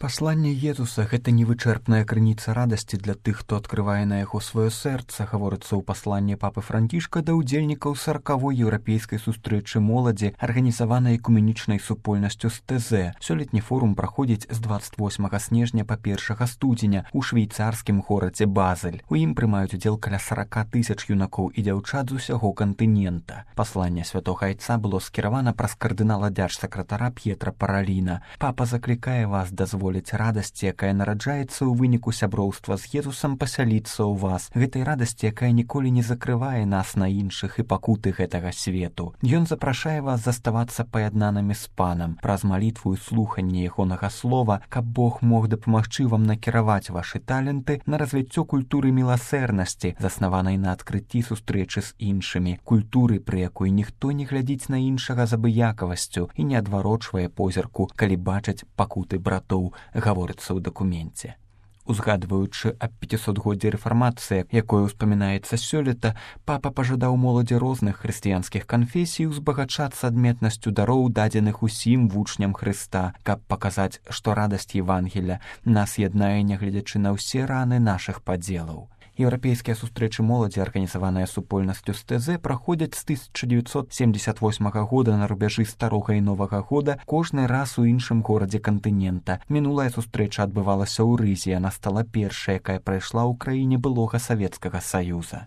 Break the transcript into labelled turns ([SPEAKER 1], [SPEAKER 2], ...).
[SPEAKER 1] Пасланне Езуса — гэта невычэрпная крыніца радасці для тых, хто адкрывае на яго сваё сэрца, гаворыцца ў пасланні папы Францішка да ўдзельнікаў 40-й еўрапейскай сустрэчы моладзі, арганізаванай экуменічнай супольнасцю з ТЗ. Сёлетні форум праходзіць з 28 снежня па 1 студзеня ў швейцарскім горадзе Базель. У ім прымаюць удзел каля 40 000 юнакоў і дзяўчат з усяго кантынента. Пасланне святога айца было скіравана праз кардынала дзяржсакратара П'етра Параліна. Папа заклікае вас дазволіць радасці, якая нараджаецца ў выніку сяброўства з Езусам, пасяліцца ў вас. Гэтай радасці, якая ніколі не закрывае нас на іншых і пакуты гэтага свету. Ён запрашае вас заставацца паяднанымі з панам праз малітву і слуханне ягонага слова, каб Бог мог дапамагчы вам накіраваць вашы таленты на развіццё культуры міласэрнасці, заснаванай на адкрыцці сустрэчы з іншымі, культуры, пры якой ніхто не глядзіць на іншага з абыякавасцю і не адварочвае позірку, калі бачаць пакуты братоў, гаворыцца ў дакуменце. Узгадваючы аб 500годдзі рэфармацыі, якое ўспамінаецца сёлета, папа пажадаў моладзі розных хрысціянскіх канфесій узбагачацца адметнасцю дароў, дадзеных усім вучням Хрыста, каб паказаць, што радасць Евангеля нас яднае, нягледзячы на ўсе раны нашых падзелаў. Еўрапейскія сустрэчы моладзі, арганізаваныя супольнасцю з ТЗ, праходзяць з 1978 года на рубяжы старога і новага года кожны раз у іншым горадзе кантынента. Мінулая сустрэча адбывалася ў Рызе, яна стала першай, якая прайшла ў краіне былога Савецкага Саюза.